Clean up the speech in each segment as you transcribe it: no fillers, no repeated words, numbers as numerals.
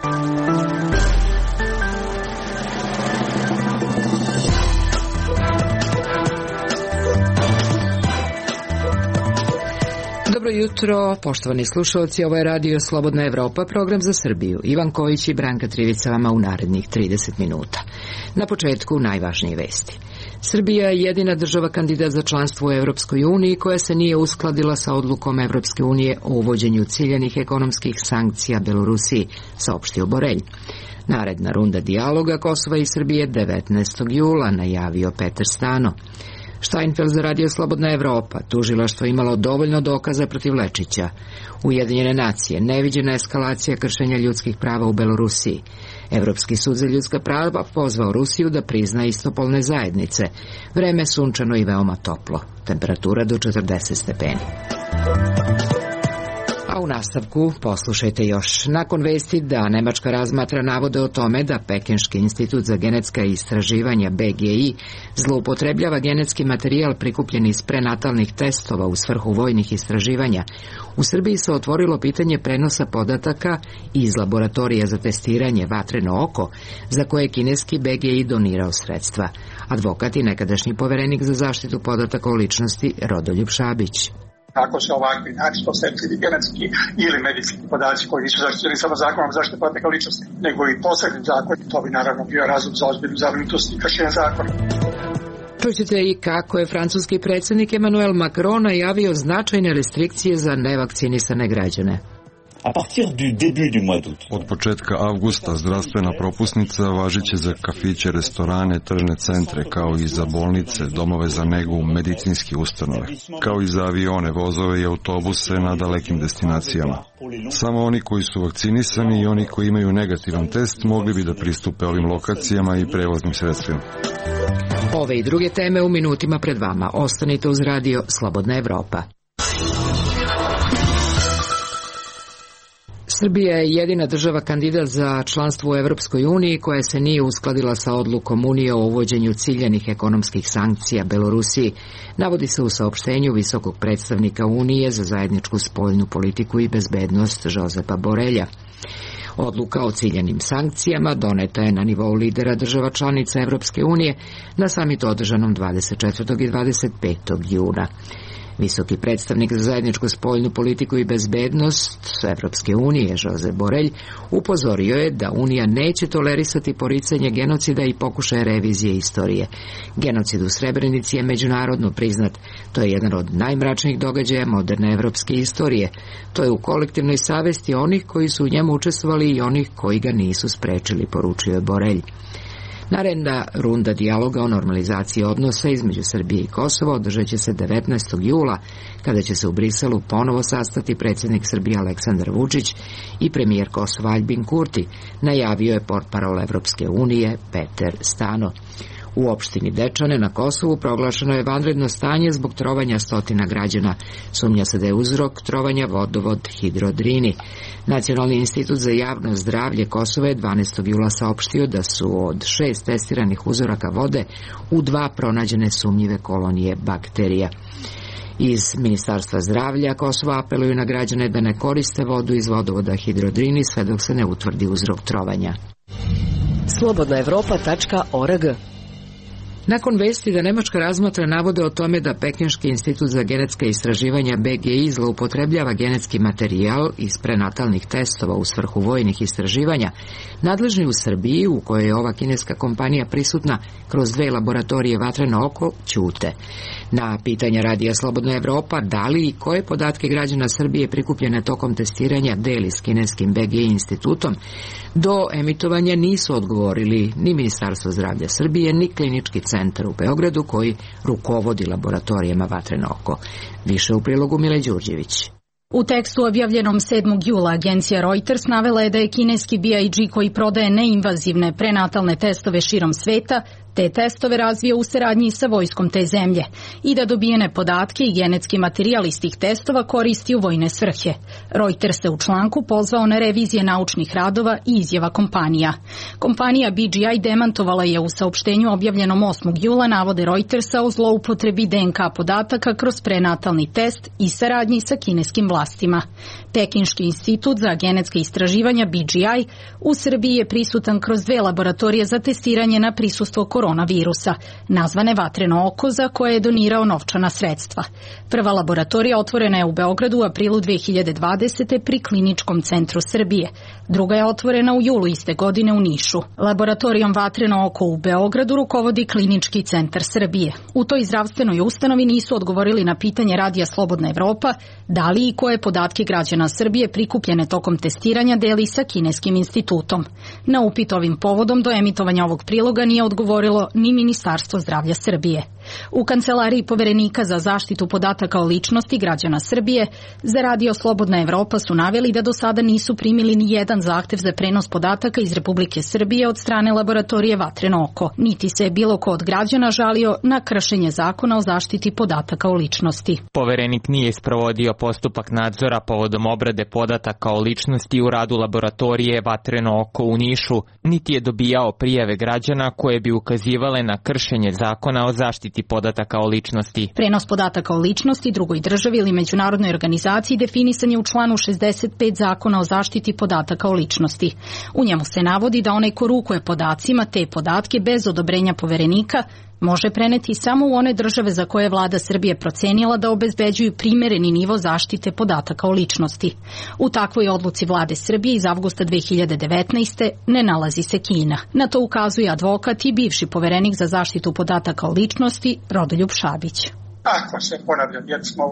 Dobro jutro, poštovani slušalci, ovo je Radio Slobodna Evropa, program za Srbiju. Ivan Kojić i Branka Trivica vama u narednih 30 minuta. Na početku najvažnije vesti. Srbija je jedina država kandidat za članstvo u Evropskoj uniji koja se nije uskladila sa odlukom Evropske unije o uvođenju ciljanih ekonomskih sankcija Belorusiji, saopštio Borelj. Naredna runda dijaloga Kosova i Srbije 19. jula, najavio Peter Stano. Steinfeld za Radio Slobodna Evropa, tužilaštvo imalo dovoljno dokaza protiv Lečića. Ujedinjene nacije, neviđena eskalacija kršenja ljudskih prava u Belorusiji. Evropski sud za ljudska prava pozvao Rusiju da prizna istopolne zajednice. Vreme sunčano i veoma toplo. Temperatura do 40 stepeni. A u nastavku poslušajte još. Nakon vesti da Nemačka razmatra navode o tome da Pekinški institut za genetska istraživanja BGI zloupotrebljava genetski materijal prikupljen iz prenatalnih testova u svrhu vojnih istraživanja, u Srbiji se otvorilo pitanje prenosa podataka iz laboratorija za testiranje Vatreno oko, za koje kineski BGI donirao sredstva. Advokat i nekadašnji poverenik za zaštitu podataka o ličnosti Rodoljub Šabić. Ako se ovakvi načisto senzitivni genetski ili medicinski podaci koji nisu zaštićeni samo zakonom zaštite podataka ličnosti, nego i posebnim zakonom, to bi naravno bio razlog za ozbiljnu zabrinutost i kršenje zakona. Čućete i kako je francuski predsjednik Emmanuel Macron najavio značajne restrikcije za nevakcinisane građane. Od početka avgusta zdravstvena propusnica važiće za kafiće, restorane, tržne centre, kao i za bolnice, domove za negu, medicinske ustanove, kao i za avione, vozove i autobuse na dalekim destinacijama. Samo oni koji su vakcinisani i oni koji imaju negativan test mogli bi da pristupe ovim lokacijama i prevoznim sredstvima. Ove i druge teme u minutima pred vama. Ostanite uz Radio Slobodna Evropa. Srbija je jedina država kandidat za članstvo u Evropskoj uniji koja se nije uskladila sa odlukom Unije o uvođenju ciljanih ekonomskih sankcija Belorusiji, navodi se u saopštenju visokog predstavnika Unije za zajedničku spoljnu politiku i bezbednost Jozepa Borelja. Odluka o ciljanim sankcijama doneta je na nivou lidera država članica Evropske unije na samitu održanom 24. i 25. juna. Visoki predstavnik za zajedničku spoljnu politiku i bezbednost Evropske unije, Josep Borelj, upozorio je da Unija neće tolerisati poricanje genocida i pokušaje revizije istorije. Genocid u Srebrenici je međunarodno priznat. To je jedan od najmračnijih događaja moderne evropske istorije. To je u kolektivnoj savesti onih koji su u njemu učestvovali i onih koji ga nisu sprečili, poručio je Borelj. Naredna runda dijaloga o normalizaciji odnosa između Srbije i Kosova održat će se 19. jula, kada će se u Briselu ponovo sastati predsjednik Srbije Aleksandar Vučić i premijer Kosova Aljbin Kurti, najavio je portparol Evropske unije Peter Stano. U opštini Dečane na Kosovu proglašeno je vanredno stanje zbog trovanja stotina građana. Sumnja se da je uzrok trovanja vodovod Hidrodrini. Nacionalni institut za javno zdravlje Kosova je 12. jula saopštio da su od 6 testiranih uzoraka vode u 2 pronađene sumnjive kolonije bakterija. Iz Ministarstva zdravlja Kosova apeluju na građane da ne koriste vodu iz vodovoda Hidrodrini sve dok se ne utvrdi uzrok trovanja. slobodnaevropa.org. Nakon vesti da Nemačka razmatra navode o tome da Pekinški institut za genetska istraživanja BGI zloupotrebljava genetski materijal iz prenatalnih testova u svrhu vojnih istraživanja, nadležni u Srbiji, u kojoj je ova kineska kompanija prisutna kroz 2 laboratorije Vatreno oko, ćute. Na pitanja Radija Slobodna Evropa da li i koje podatke građana Srbije prikupljene tokom testiranja deli s kineskim BGI institutom, do emitovanja nisu odgovorili ni Ministarstvo zdravlja Srbije, ni Klinički centar u Beogradu koji rukovodi laboratorijama Vatreno oko. Više u prilogu Mile Đurđević. U tekstu objavljenom 7. jula agencija Reuters navela je da je kineski BIG koji prodaje neinvazivne prenatalne testove širom sveta Te testove razvija u saradnji sa vojskom te zemlje i da dobijene podatke i genetski materijal iz tih testova koristi u vojne svrhe. Reuters se u članku pozvao na revizije naučnih radova i izjava kompanija. Kompanija BGI demantovala je u saopštenju objavljenom 8. jula navode Reutersa o zloupotrebi DNK podataka kroz prenatalni test i saradnji sa kineskim vlastima. Pekinški institut za genetska istraživanja BGI u Srbiji je prisutan kroz 2 laboratorije za testiranje na prisustvo koronavirusa, nazvane Vatreno oko, za koje je donirao novčana sredstva. Prva laboratorija otvorena je u Beogradu u aprilu 2020. pri Kliničkom centru Srbije. Druga je otvorena u julu iste godine u Nišu. Laboratorijom Vatreno oko u Beogradu rukovodi Klinički centar Srbije. U toj zdravstvenoj ustanovi nisu odgovorili na pitanje Radija Slobodna Evropa da li i koje podatke građana Srbije prikupljene tokom testiranja deli sa kineskim institutom. Na upit ovim povodom do emitovanja ovog priloga nije odgovorilo ni Ministarstvo zdravlja Srbije. U kancelariji Poverenika za zaštitu podataka o ličnosti građana Srbije za Radio Slobodna Evropa su naveli da do sada nisu primili ni jedan zahtev za prenos podataka iz Republike Srbije od strane laboratorije Vatreno oko, niti se je bilo ko od građana žalio na kršenje zakona o zaštiti podataka o ličnosti. Poverenik nije sprovodio postupak nadzora povodom obrade podataka o ličnosti u radu laboratorije Vatreno oko u Nišu, niti je dobijao prijave građana koje bi ukazivale na kršenje zakona o zaštiti podataka o ličnosti. Prenos podataka o ličnosti drugoj državi ili međunarodnoj organizaciji definisan je u članu 65 Zakona o zaštiti podataka o ličnosti. U njemu se navodi da onaj ko rukuje podacima te podatke bez odobrenja Poverenika može preneti samo u one države za koje je vlada Srbije procenila da obezbeđuju primereni nivo zaštite podataka o ličnosti. U takvoj odluci vlade Srbije iz avgusta 2019. ne nalazi se Kina. Na to ukazuje advokat i bivši poverenik za zaštitu podataka o ličnosti Rodoljub Šabić. Ako se, ponavljam, jer smo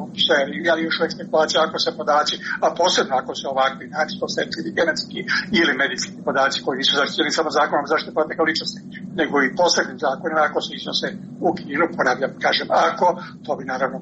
ali još uvijek spekulacija, ako se podaci, a posebno ako se ovakvi načisto osetljivi genetski ili medicinski podaci koji nisu zaštićeni samo zakonom zaštite podataka o ličnosti, nego i posebnim zakonima, ako se iznose u Kinu, ponavljam, kažem ako, to bi naravno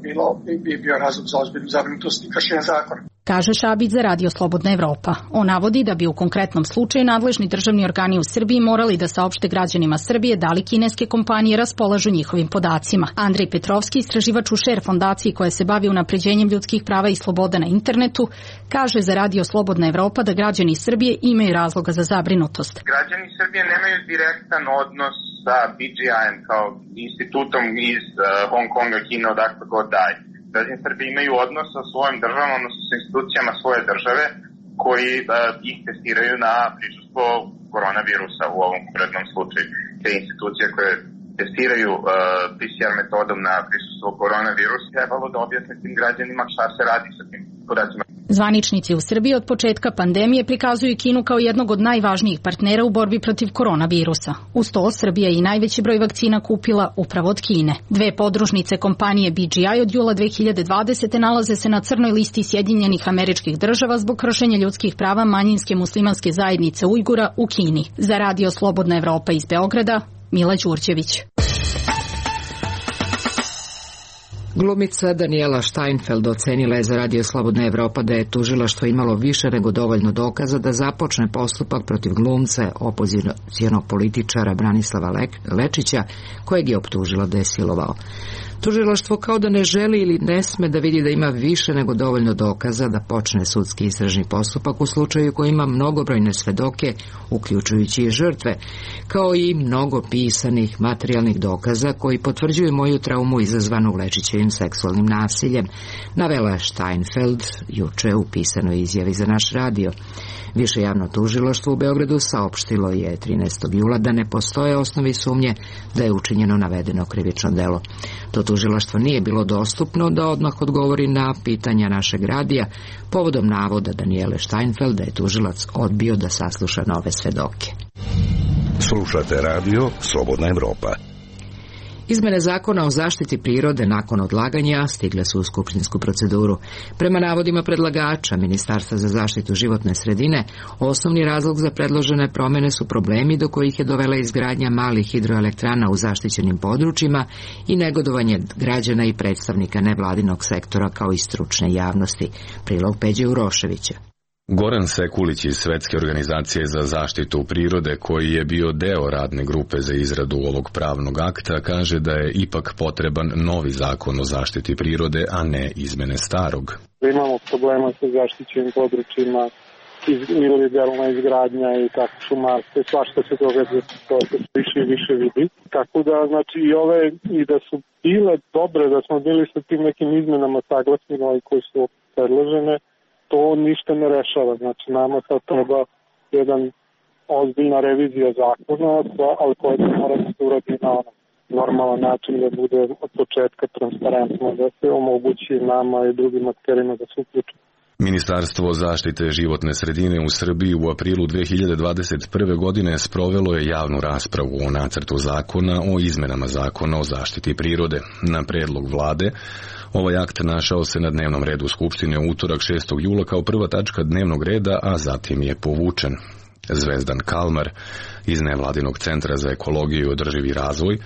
bio razlog za ozbiljnu zabrinutost i kršenje zakona. Kaže Šabić za Radio Slobodna Evropa. On navodi da bi u konkretnom slučaju nadležni državni organi u Srbiji morali da saopšte građanima Srbije da li kineske kompanije raspolažu njihovim podacima. Andrej Petrovski, istraživač u Share fondaciji koja se bavi unapređenjem ljudskih prava i sloboda na internetu, kaže za Radio Slobodna Evropa da građani Srbije imaju razloga za zabrinutost. Građani Srbije nemaju direktan odnos sa BGI-em kao institutom iz Hong Konga, Kine, odakle god dalje. Građani Srbije imaju odnos sa svojim državom, odnosno sa institucijama svoje države koji ih testiraju na prisustvo koronavirusa u ovom konkretnom slučaju. Te institucije koje testiraju PCR metodom na prisustvo koronavirusa trebalo da objasne tim građanima šta se radi sa tim podacima. Zvaničnici u Srbiji od početka pandemije prikazuju Kinu kao jednog od najvažnijih partnera u borbi protiv koronavirusa. Uz to, Srbija je i najveći broj vakcina kupila upravo od Kine. 2 podružnice kompanije BGI od jula 2020. nalaze se na crnoj listi Sjedinjenih Američkih Država zbog kršenja ljudskih prava manjinske muslimanske zajednice Ujgura u Kini. Za Radio Slobodna Evropa iz Beograda, Mila Đurđević. Glumica Daniela Steinfeld ocenila je za Radio Slobodna Evropa da je tužilaštvo imalo više nego dovoljno dokaza da započne postupak protiv glumca opozicionog političara Branislava Lečića, kojeg je optužila da je silovao. Tužilaštvo kao da ne želi ili ne sme da vidi da ima više nego dovoljno dokaza da počne sudski istražni postupak u slučaju koji ima mnogobrojne svedoke, uključujući i žrtve, kao i mnogo pisanih materijalnih dokaza koji potvrđuju moju traumu izazvanu Lečićevim seksualnim nasiljem, navela je Steinfeld juče u pisanoj izjavi za naš radio. Više javno tužilaštvo u Beogradu saopštilo je 13. jula da ne postoje osnovi sumnje da je učinjeno navedeno krivično delo. To tužilaštvo nije bilo dostupno da odmah odgovori na pitanja našeg radija povodom navoda Daniele Steinfeld da je tužilac odbio da sasluša nove svedoke. Slušate radio Slobodna Evropa. Izmene zakona o zaštiti prirode nakon odlaganja stigle su u skupštinsku proceduru. Prema navodima predlagača Ministarstva za zaštitu životne sredine, osnovni razlog za predložene promjene su problemi do kojih je dovela izgradnja malih hidroelektrana u zaštićenim područjima i negodovanje građana i predstavnika nevladinog sektora kao i stručne javnosti. Prilog Peđe Uroševića. Goran Sekulić iz Svetske organizacije za zaštitu prirode, koji je bio deo radne grupe za izradu ovog pravnog akta, kaže da je ipak potreban novi zakon o zaštiti prirode, a ne izmene starog. Imamo problema sa zaštićenim područjima, ilegalna izgradnja i tako šumarstvo, svašta se događa, to se više i više vidi. Tako da, znači, i da su bile dobre, da smo bili sa tim nekim izmenama saglasni, koji su predložene, to ništa ne rešava. Znači, nama sad treba jedan ozbiljna revizija zakona, ali koja se mora da se uradi na normalan način, da bude od početka transparentno, da se omogući nama i drugim akterima da se uključu. Ministarstvo zaštite životne sredine u Srbiji u aprilu 2021. godine sprovelo je javnu raspravu o nacrtu zakona o izmenama zakona o zaštiti prirode. Na predlog vlade, ovaj akt našao se na dnevnom redu Skupštine u utorak 6. jula kao prva tačka dnevnog reda, a zatim je povučen. Zvezdan Kalmar iz Nevladinog centra za ekologiju i održivi razvoj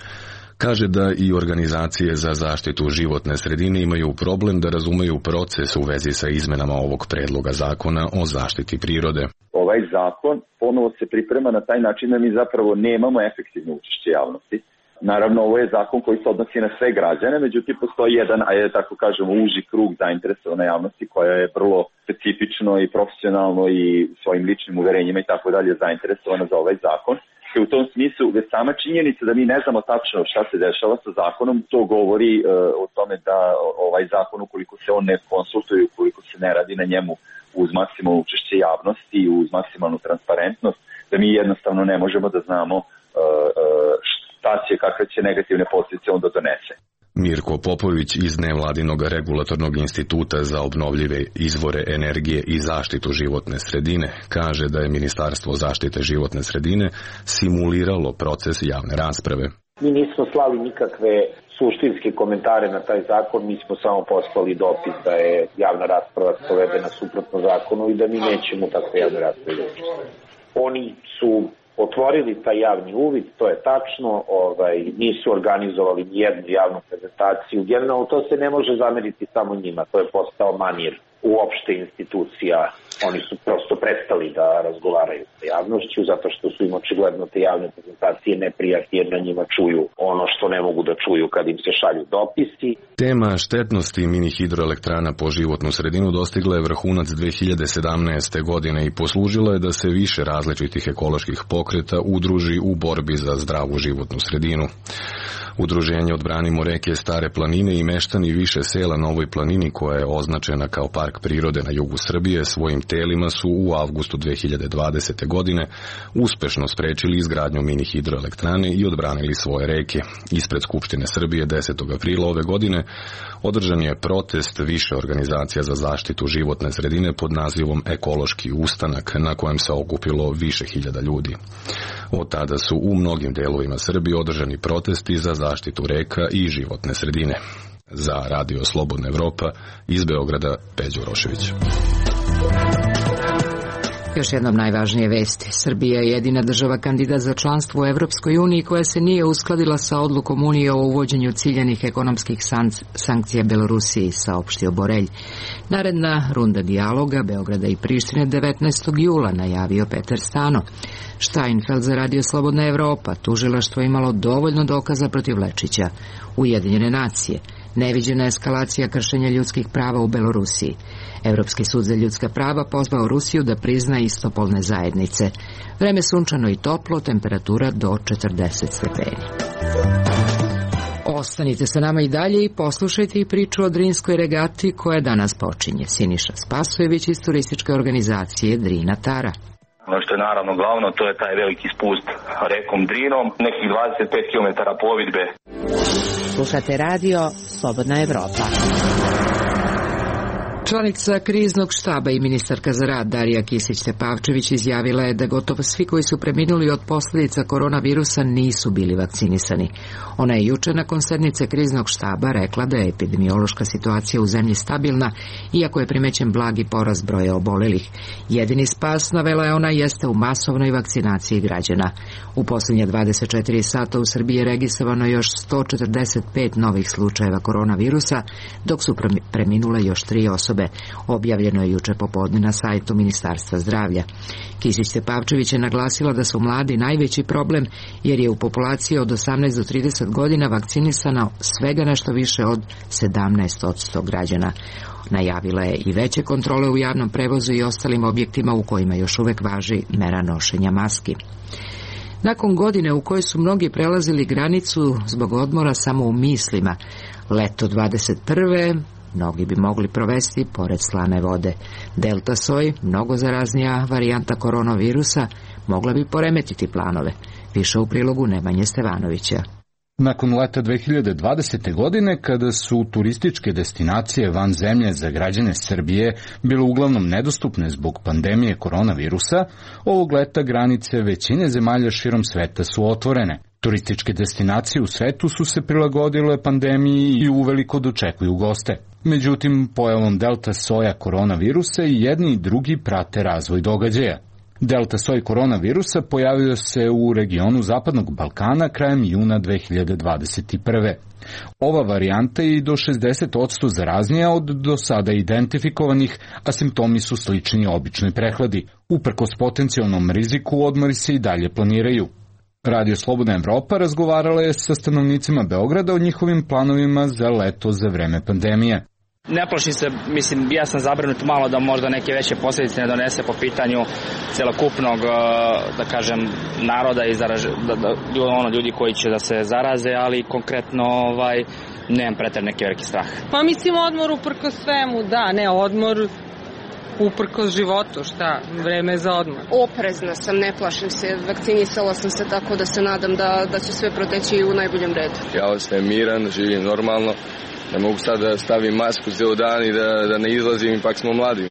kaže da i organizacije za zaštitu životne sredine imaju problem da razumeju proces u vezi sa izmenama ovog predloga zakona o zaštiti prirode. Ovaj zakon ponovo se priprema na taj način da mi zapravo nemamo efektivno učešće javnosti. Naravno, ovo je zakon koji se odnosi na sve građane, međutim postoji jedan, tako kažemo, uži krug zainteresovane javnosti koja je vrlo specifično i profesionalno i svojim ličnim uverenjima i tako dalje zainteresovana za ovaj zakon. U tom smislu, već sama činjenica da mi ne znamo tačno šta se dešava sa zakonom, to govori o tome da ovaj zakon, ukoliko se on ne konsultuje, ukoliko se ne radi na njemu uz maksimalno učešće javnosti i uz maksimalnu transparentnost, da mi jednostavno ne možemo da znamo šta će, kakve će negativne posljedice onda donese. Mirko Popović iz Nevladinog regulatornog instituta za obnovljive izvore energije i zaštitu životne sredine kaže da je Ministarstvo zaštite životne sredine simuliralo proces javne rasprave. Mi nismo slali nikakve suštinske komentare na taj zakon, mi smo samo poslali dopis da je javna rasprava sprovedena suprotno zakonu i da mi nećemo takve javne rasprave. Oni su otvorili taj javni uvid, to je tačno, nisu organizovali nijednu javnu prezentaciju. Generalno to se ne može zameriti samo njima, to je postao manir uopšte institucija. Oni su prosto prestali da razgovaraju sa javnošću zato što su im očigledno te javne prezentacije neprijatne jer na njima čuju ono što ne mogu da čuju kad im se šalju dopisi. Tema štetnosti mini hidroelektrana po životnu sredinu dostigla je vrhunac 2017. godine i poslužila je da se više različitih ekoloških pokreta udruži u borbi za zdravu životnu sredinu. Udruženje Odbranimo reke Stare planine i meštani više sela na ovoj planini, koja je označena kao park prirode na jugu Srbije, svojim telima su u avgustu 2020. godine uspešno sprečili izgradnju mini hidroelektrane i odbranili svoje reke. Ispred Skupštine Srbije 10. aprila ove godine održan je protest više organizacija za zaštitu životne sredine pod nazivom Ekološki ustanak, na kojem se okupilo više hiljada ljudi. Od tada su u mnogim delovima Srbije održani protesti za zaštitu reka i životne sredine. Za Radio Slobodna Evropa iz Beograda, Peđo Rošević. Još jednom najvažnije vesti. Srbija je jedina država kandidat za članstvo u Evropskoj uniji koja se nije uskladila sa odlukom Unije o uvođenju ciljanih ekonomskih sankcija Belorusiji, saopštio Borelj. Naredna runda dijaloga Beograda i Prištine 19. jula, najavio Petar Stano. Steinfeld za Radio Slobodna Evropa. Tužilaštvo imalo dovoljno dokaza protiv Lečića. Ujedinjene nacije. Neviđena eskalacija kršenja ljudskih prava u Belorusiji. Evropski sud za ljudska prava pozvao Rusiju da prizna istopolne zajednice. Vreme sunčano i toplo, temperatura do 40 stepeni. Ostanite sa nama i dalje i poslušajte i priču o Drinskoj regati koja danas počinje. Siniša Spasojević iz turističke organizacije Drina Tara. Ono što je naravno glavno, to je taj veliki spust rekom Drinom, nekih 25 km plovidbe. Slušate radio Slobodna Evropa. Članica kriznog štaba i ministarka za rad Darija Kisić-Tepavčević izjavila je da gotovo svi koji su preminuli od posljedica koronavirusa nisu bili vakcinisani. Ona je juče nakon sednice kriznog štaba rekla da je epidemiološka situacija u zemlji stabilna, iako je primećen blagi porast broja obolelih. Jedini spas, navela je ona, jeste u masovnoj vakcinaciji građana. U posljednje 24 sata u Srbiji je registrovano još 145 novih slučajeva koronavirusa, dok su preminule još 3 osobe. osobe. Objavljeno je juče popodne na sajtu Ministarstva zdravlja. Kisić-Tepavčević je naglasila da su mladi najveći problem jer je u populaciji od 18 do 30 godina vakcinisano svega nešto više od 17% građana. Najavila je i veće kontrole u javnom prevozu i ostalim objektima u kojima još uvek važi mera nošenja maski. Nakon godine u kojoj su mnogi prelazili granicu zbog odmora samo u mislima, leto 21. mnogi bi mogli provesti pored slane vode. Delta soj, mnogo zaraznija varijanta koronavirusa, mogla bi poremetiti planove. Više u prilogu Nemanje Stevanovića. Nakon leta 2020. godine, kada su turističke destinacije van zemlje za građane Srbije bile uglavnom nedostupne zbog pandemije koronavirusa, ovog leta granice većine zemalja širom sveta su otvorene. Turističke destinacije u svetu su se prilagodile pandemiji i uveliko dočekuju goste. Međutim, pojavom delta soja koronavirusa i jedni i drugi prate razvoj događaja. Delta soj koronavirusa pojavio se u regionu Zapadnog Balkana krajem juna 2021. Ova varijanta je i do 60% zaraznija od do sada identifikovanih, a simptomi su slični običnoj prehladi. Uprkos potencijalnom riziku, odmori se i dalje planiraju. Radio Slobodna Evropa razgovarala je sa stanovnicima Beograda o njihovim planovima za leto za vreme pandemije. Ne plašim se, mislim, ja sam zabrinut malo da možda neke veće posljedice ne donese po pitanju celokupnog, da kažem, naroda i ljudi koji će da se zaraze, ali konkretno nemam pretjerano neki veliki strah. Pa mislim odmor uprkos svemu, da, ne odmor uprkos životu, šta, vreme za odmor. Oprezna sam, ne plašim se, vakcinisala sam se tako da se nadam da će sve proteći u najboljem redu. Ja ostajem miran, živim normalno. Ne mogu sad da stavim masku ceo dan i da ne izlazim, ipak smo mladi.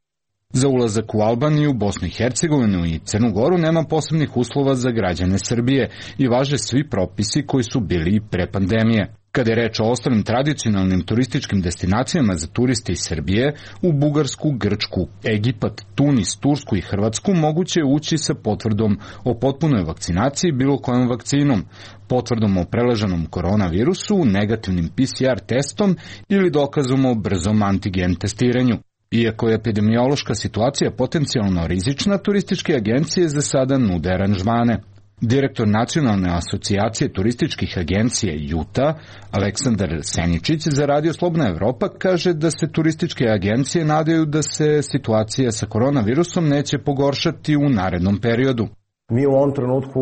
Za ulazak u Albaniju, Bosnu i Hercegovinu i Crnu Goru nema posebnih uslova za građane Srbije i važe svi propisi koji su bili pre pandemije. Kada je reč o ostalim tradicionalnim turističkim destinacijama za turiste iz Srbije, u Bugarsku, Grčku, Egipat, Tunis, Tursku i Hrvatsku moguće je ući sa potvrdom o potpunoj vakcinaciji bilo kojom vakcinom, potvrdom o preleženom koronavirusu, negativnim PCR testom ili dokazom o brzom antigen testiranju. Iako je epidemiološka situacija potencijalno rizična, turističke agencije za sada nude aranžmane. Direktor Nacionalne asocijacije turističkih agencija JUTA, Aleksandar Seničić, za Radio Slobodna Evropa kaže da se turističke agencije nadaju da se situacija sa koronavirusom neće pogoršati u narednom periodu. Mi u ovom trenutku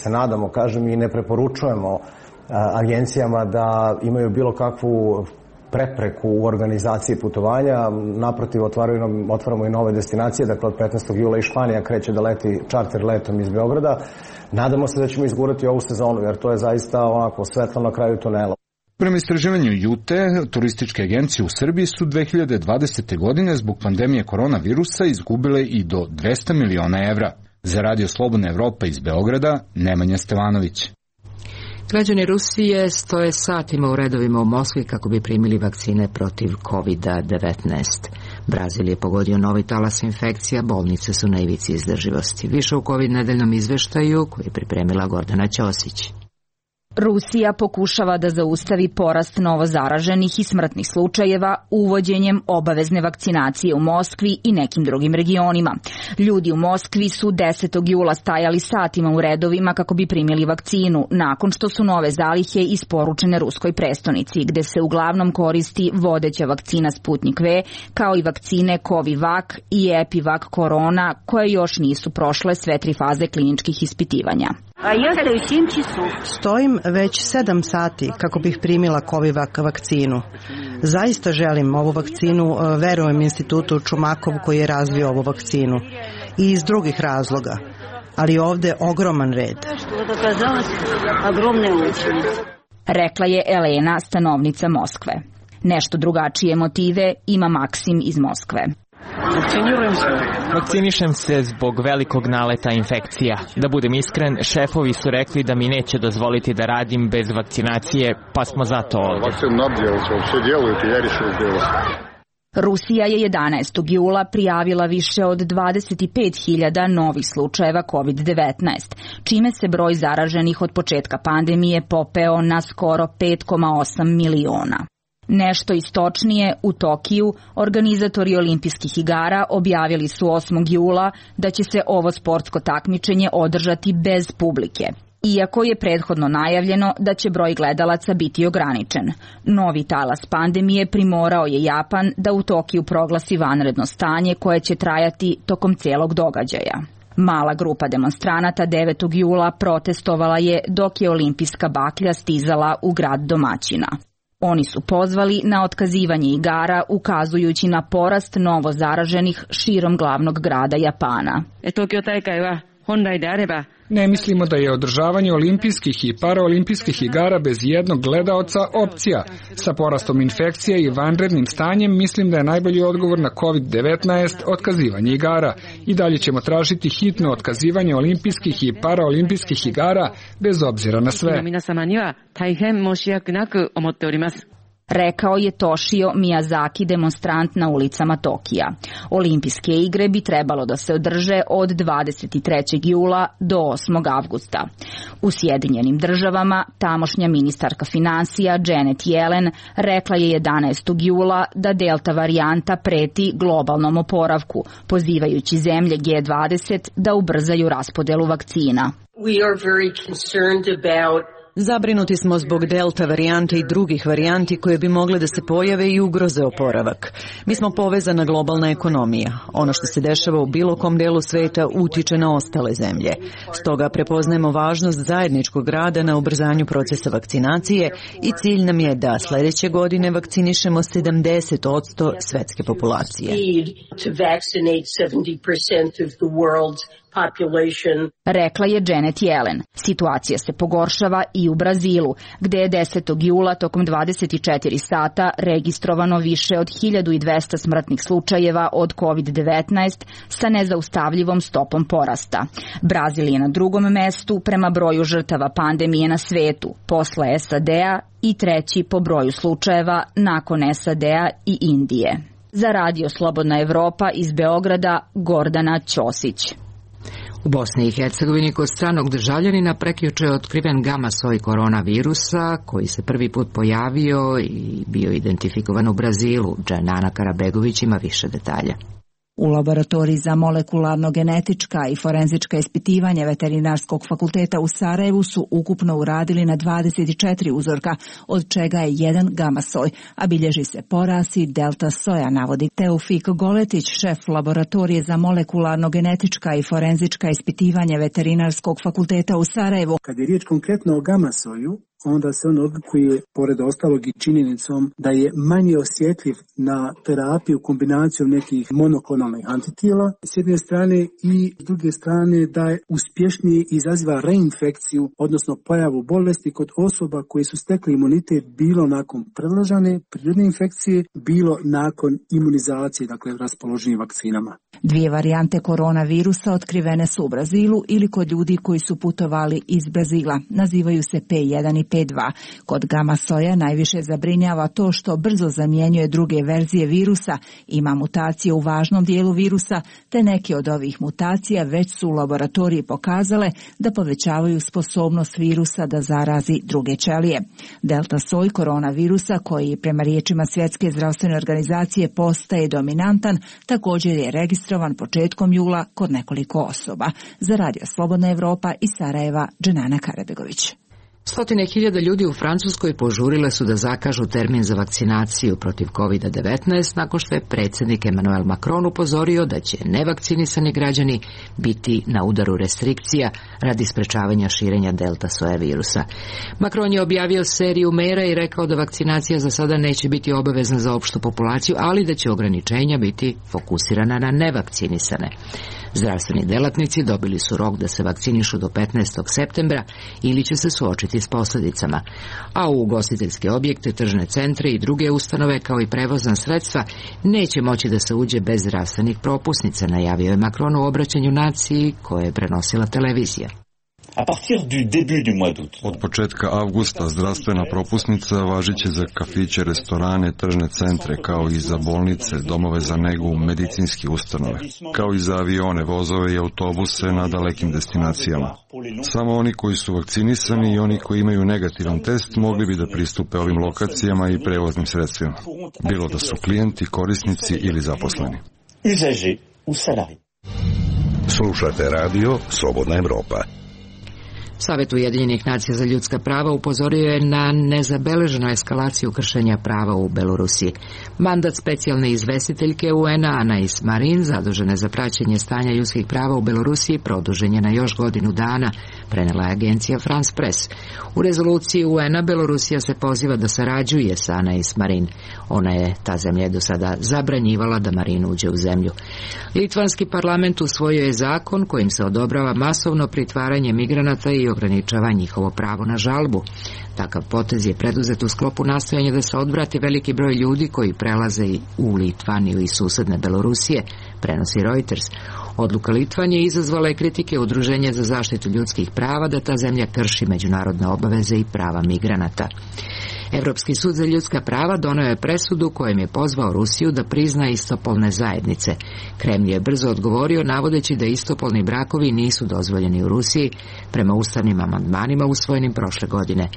se nadamo, kažem, i ne preporučujemo agencijama da imaju bilo kakvu prepreku u organizaciji putovanja. Naprotiv, otvaramo i nove destinacije, dakle od 15. jula i Španija kreće da leti čarter letom iz Beograda. Nadamo se da ćemo izgurati ovu sezonu, jer to je zaista ovako svetlo na kraju tunela. Prema istraživanju JUTE, turističke agencije u Srbiji su 2020. godine zbog pandemije koronavirusa izgubile i do 200 miliona evra. Za Radio Slobodna Evropa iz Beograda, Nemanja Stevanović. Građani Rusije stoje satima u redovima u Moskvi kako bi primili vakcine protiv COVID-19. Brazil je pogodio novi talas infekcija, bolnice su na ivici izdrživosti. Više u COVID nedeljnom izveštaju koji je pripremila Gordana Ćosić. Rusija pokušava da zaustavi porast novozaraženih i smrtnih slučajeva uvođenjem obavezne vakcinacije u Moskvi i nekim drugim regionima. Ljudi u Moskvi su 10. jula stajali satima u redovima kako bi primili vakcinu, nakon što su nove zalihe isporučene ruskoj prestonici, gde se uglavnom koristi vodeća vakcina Sputnik V, kao i vakcine Covivac i Epivac Corona, koje još nisu prošle sve 3 faze kliničkih ispitivanja. Stojim već 7 sati kako bih primila Covivac vakcinu. Zaista želim ovu vakcinu, verujem institutu Čumakov koji je razvio ovu vakcinu. I iz drugih razloga. Ali ovde ogroman red. Rekla je Elena, stanovnica Moskve. Nešto drugačije motive ima Maksim iz Moskve. Vakcinišem se zbog velikog naleta infekcija. Da budem iskren, šefovi su rekli da mi neće dozvoliti da radim bez vakcinacije, pa smo zato ovdje. Rusija je 11. jula prijavila više od 25.000 novih slučajeva COVID-19, čime se broj zaraženih od početka pandemije popeo na skoro 5,8 miliona. Nešto istočnije, u Tokiju, organizatori olimpijskih igara objavili su 8. jula da će se ovo sportsko takmičenje održati bez publike. Iako je prethodno najavljeno da će broj gledalaca biti ograničen. Novi talas pandemije primorao je Japan da u Tokiju proglasi vanredno stanje koje će trajati tokom celog događaja. Mala grupa demonstranata 9. jula protestovala je dok je olimpijska baklja stizala u grad domaćina. Oni su pozvali na otkazivanje igara ukazujući na porast novo zaraženih širom glavnog grada Japana. Ne mislimo da je održavanje olimpijskih i paraolimpijskih igara bez jednog gledaoca opcija. Sa porastom infekcija i vanrednim stanjem mislim da je najbolji odgovor na COVID-19 otkazivanje igara. I dalje ćemo tražiti hitno otkazivanje olimpijskih i paraolimpijskih igara bez obzira na sve. Rekao je Toshio Miyazaki, demonstrant na ulicama Tokija. Olimpijske igre bi trebalo da se održe od 23. jula do 8. avgusta. U Sjedinjenim državama tamošnja ministarka finansija Janet Yellen rekla je 11. jula da delta varijanta preti globalnom oporavku, pozivajući zemlje G20 da ubrzaju raspodelu vakcina. We are very concerned about Zabrinuti smo zbog delta varijante i drugih varijanti koje bi mogle da se pojave i ugroze oporavak. Mi smo povezana globalna ekonomija. Ono što se dešava u bilo kom delu sveta utiče na ostale zemlje. Stoga prepoznajemo važnost zajedničkog rada na ubrzanju procesa vakcinacije i cilj nam je da sledeće godine vakcinišemo 70% svetske populacije. Rekla je Janet Yellen. Situacija se pogoršava i u Brazilu, gde je 10. jula tokom 24 sata registrovano više od 1200 smrtnih slučajeva od COVID-19 sa nezaustavljivom stopom porasta. Brazil je na drugom mestu prema broju žrtava pandemije na svetu, posle SAD-a i treći po broju slučajeva nakon SAD-a i Indije. Za Radio Slobodna Evropa iz Beograda, Gordana Ćosić. U Bosni i Hercegovini kod stranog državljanina prekjuče je otkriven gama soj koronavirusa koji se prvi put pojavio i bio identifikovan u Brazilu. Džanana Karabegović ima više detalja. U laboratoriji za molekularno-genetička i forenzička ispitivanja Veterinarskog fakulteta u Sarajevu su ukupno uradili na 24 uzorka, od čega je jedan gama soj, a bilježi se porast i delta soja, navodi Teufik Goletić, šef laboratorije za molekularno-genetička i forenzička ispitivanja Veterinarskog fakulteta u Sarajevu. Kad je riječ konkretno o gama soju, onda se on odlikuje, pored ostalog i činjenicom, da je manje osjetljiv na terapiju kombinacijom nekih monoklonalnih antitijela s jedne strane i s druge strane da je uspješnije izaziva reinfekciju, odnosno pojavu bolesti kod osoba koje su stekli imunitet bilo nakon predložene prirodne infekcije, bilo nakon imunizacije, dakle raspoloženim vakcinama. Dvije varijante koronavirusa otkrivene su u Brazilu ili kod ljudi koji su putovali iz Brazila. Nazivaju se P1 i P2. Kod gama soja najviše zabrinjava to što brzo zamjenjuje druge verzije virusa, ima mutacije u važnom dijelu virusa, te neke od ovih mutacija već su u laboratoriji pokazale da povećavaju sposobnost virusa da zarazi druge ćelije. Delta soj koronavirusa, koji prema riječima Svjetske zdravstvene organizacije postaje dominantan, također je registrovan početkom jula kod nekoliko osoba. Za Radio Slobodna Evropa iz Sarajeva, Dženana Karabegović. Stotine hiljada ljudi u Francuskoj požurile su da zakažu termin za vakcinaciju protiv COVID-19 nakon što je predsjednik Emmanuel Macron upozorio da će nevakcinisani građani biti na udaru restrikcija radi sprečavanja širenja delta soja virusa. Macron je objavio seriju mera i rekao da vakcinacija za sada neće biti obavezna za opštu populaciju, ali da će ograničenja biti fokusirana na nevakcinisane. Zdravstveni delatnici dobili su rok da se vakcinišu do 15. septembra ili će se suočiti s posljedicama. A u ugostiteljske objekte, tržne centre i druge ustanove kao i prevozna sredstva neće moći da se uđe bez zdravstvenih propusnica, najavio je Macron u obraćanju naciji koje je prenosila televizija. Od početka avgusta zdravstvena propusnica važiće za kafiće, restorane, tržne centre, kao i za bolnice, domove za negu, medicinske ustanove, kao i za avione, vozove i autobuse na dalekim destinacijama. Samo oni koji su vakcinisani i oni koji imaju negativan test mogli bi da pristupe ovim lokacijama i prevoznim sredstvima, bilo da su klijenti, korisnici ili zaposleni. Slušate radio Slobodna Evropa. Savet Ujedinjenih nacija za ljudska prava upozorio je na nezabeleženu eskalaciju kršenja prava u Belorusiji. Mandat specijalne izvestiteljke UN-a Anais Marin, zadužene za praćenje stanja ljudskih prava u Belorusiji, produžen je na još godinu dana, prenela je agencija France Press. U rezoluciji UN-a Belorusija se poziva da sarađuje sa Anais Marin. Ta zemlja je do sada zabranjivala da Marin uđe u zemlju. Litvanski parlament usvojio je zakon kojim se odobrava masovno pritvaranje migranata i ograničava njihovo pravo na žalbu. Takav potez je preduzet u sklopu nastojanja da se odvrati veliki broj ljudi koji prelaze u Litvaniju i susedne Belorusije, prenosi Reuters. Odluka Litvanije izazvala je kritike Udruženja za zaštitu ljudskih prava da ta zemlja krši međunarodne obaveze i prava migranata. Evropski sud za ljudska prava doneo je presudu kojim je pozvao Rusiju da prizna istopolne zajednice. Kremlj je brzo odgovorio navodeći da istopolni brakovi nisu dozvoljeni u Rusiji prema ustavnim amandmanima usvojenim prošle godine.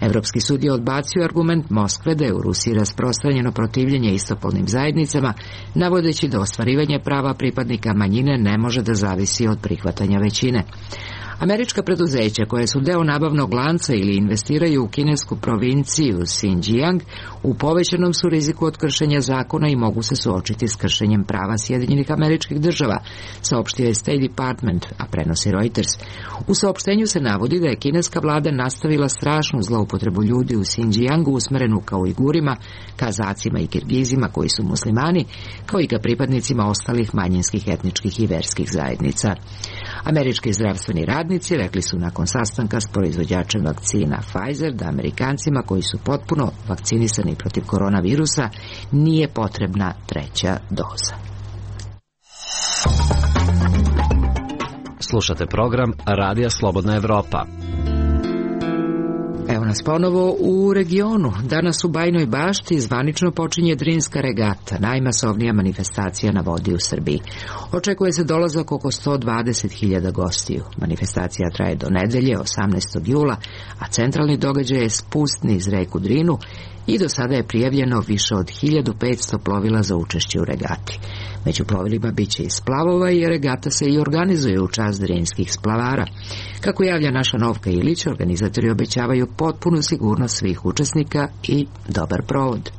Evropski sud je odbacio argument Moskve da je u Rusiji rasprostranjeno protivljenje istopolnim zajednicama, navodeći da ostvarivanje prava pripadnika manjine ne može da zavisi od prihvatanja većine. Američka preduzeća koje su deo nabavnog lanca ili investiraju u kinesku provinciju Xinjiang u povećanom su riziku od kršenja zakona i mogu se suočiti s kršenjem prava Sjedinjenih Američkih Država, saopštio je State Department, a prenosi Reuters. U saopštenju se navodi da je kineska vlada nastavila strašnu zloupotrebu ljudi u Xinjiangu usmerenu ka Ujgurima, Kazacima i Kirgizima koji su muslimani, kao i ka pripadnicima ostalih manjinskih etničkih i verskih zajednica. Američki zdravstveni radnici rekli su nakon sastanka s proizvođačem vakcina Pfizer da Amerikancima koji su potpuno vakcinisani protiv koronavirusa nije potrebna treća doza. Slušate program Radija Slobodna Evropa. Evo nas ponovo u regionu. Danas u Bajnoj Bašti zvanično počinje Drinska regata, najmasovnija manifestacija na vodi u Srbiji. Očekuje se dolazak oko 120.000 gostiju. Manifestacija traje do nedelje, 18. jula, a centralni događaj je spust niz reku Drinu i do sada je prijavljeno više od 1500 plovila za učešće u regati. Među plovilima biće i splavova i regata se i organizuje u čast drinskih splavara. Kako javlja naša Novka Ilić, organizatori obećavaju potpunu sigurnost svih učesnika i dobar provod.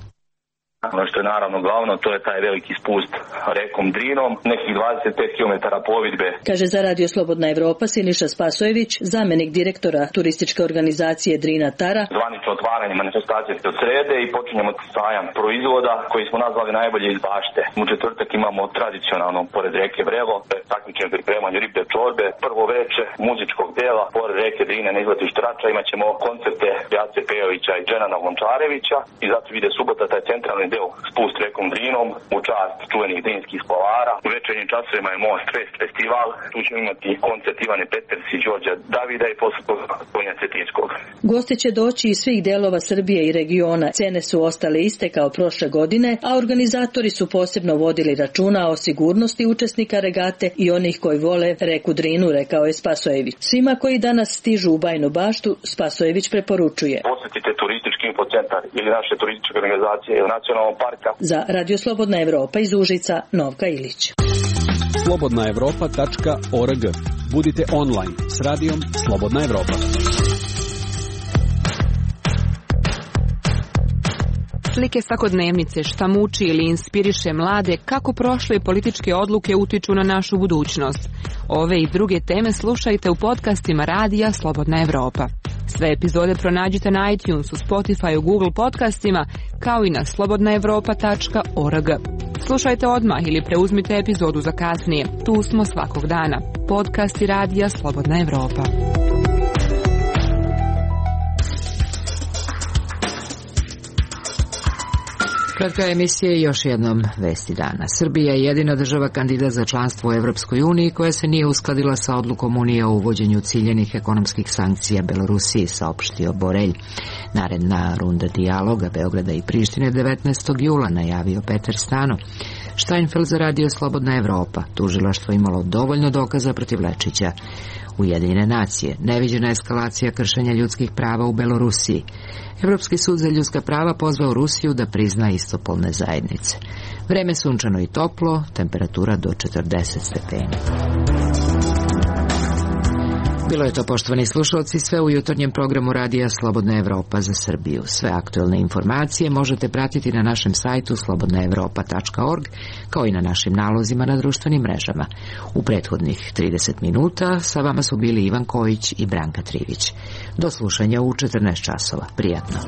Ono što je naravno glavno, to je taj veliki spust rekom Drinom, nekih 25 km plovidbe. Kaže za Radio Slobodna Evropa Siniša Spasojević, zamenik direktora turističke organizacije Drina Tara. Zvanično otvaranje manifestacije se od srede i počinjemo sajam proizvoda koji smo nazvali najbolje iz bašte. U četvrtak imamo tradicionalno pored reke Vrelo, takmičenje pripremanju riblje čorbe, prvo veče muzičkog dela, pored reke Drine na izletištu Rača imaćemo koncerte Jace Pejovića i Dženana Lončarevića i zato ide subota taj centralni deo spust rekom Drinom u čast čuvenih drinskih splavara. U večernjim časovima je Most Fest festival, tu ćemo imati koncert Ivane Peters i Đorđa Davida i posle toga Tonja Cetinskog. Gosti će doći iz svih delova Srbije i regiona. Cene su ostale iste kao prošle godine, a organizatori su posebno vodili računa o sigurnosti učesnika regate i onih koji vole reku Drinu, rekao je Spasojević. Svima koji danas stižu u Bajnu Baštu, Spasojević preporučuje: posjetite turistički infocentar ili naše turističke organizacije ili nacionalnog parka. Za Radio Slobodna Evropa iz Užica, Novka Ilić. slobodnaevropa.org. Budite online s radijom Slobodna Evropa. Slike svakodnevnice, šta muči ili inspiriše mlade, kako prošle političke odluke utiču na našu budućnost. Ove i druge teme slušajte u podcastima Radija Slobodna Evropa. Sve epizode pronađite na iTunesu, Spotifyu, Google podcastima, kao i na slobodnaevropa.org. Slušajte odmah ili preuzmite epizodu za kasnije. Tu smo svakog dana. Podcasti Radija Slobodna Evropa. Kratka emisija i još jednom vesti dana. Srbija je jedina država kandidat za članstvo u Evropskoj uniji koja se nije uskladila sa odlukom Unije o uvođenju ciljenih ekonomskih sankcija Belorusiji, saopštio Borelj. Naredna runda dijaloga Beograda i Prištine 19. jula, najavio Petar Stano. Steinfeld za Radio Slobodna Evropa. Tužilaštvo imalo dovoljno dokaza protiv Lečića. Ujedinjene nacije. Neviđena eskalacija kršenja ljudskih prava u Belorusiji. Evropski sud za ljudska prava pozvao Rusiju da prizna istopolne zajednice. Vreme sunčano i toplo, temperatura do 40 stepeni. Bilo je to, poštovani slušalci, sve u jutarnjem programu Radija Slobodna Evropa za Srbiju. Sve aktuelne informacije možete pratiti na našem sajtu slobodnaevropa.org, kao i na našim nalozima na društvenim mrežama. U prethodnih 30 minuta sa vama su bili Ivan Kojić i Branka Trivić. Do slušanja u 14 časova. Prijatno.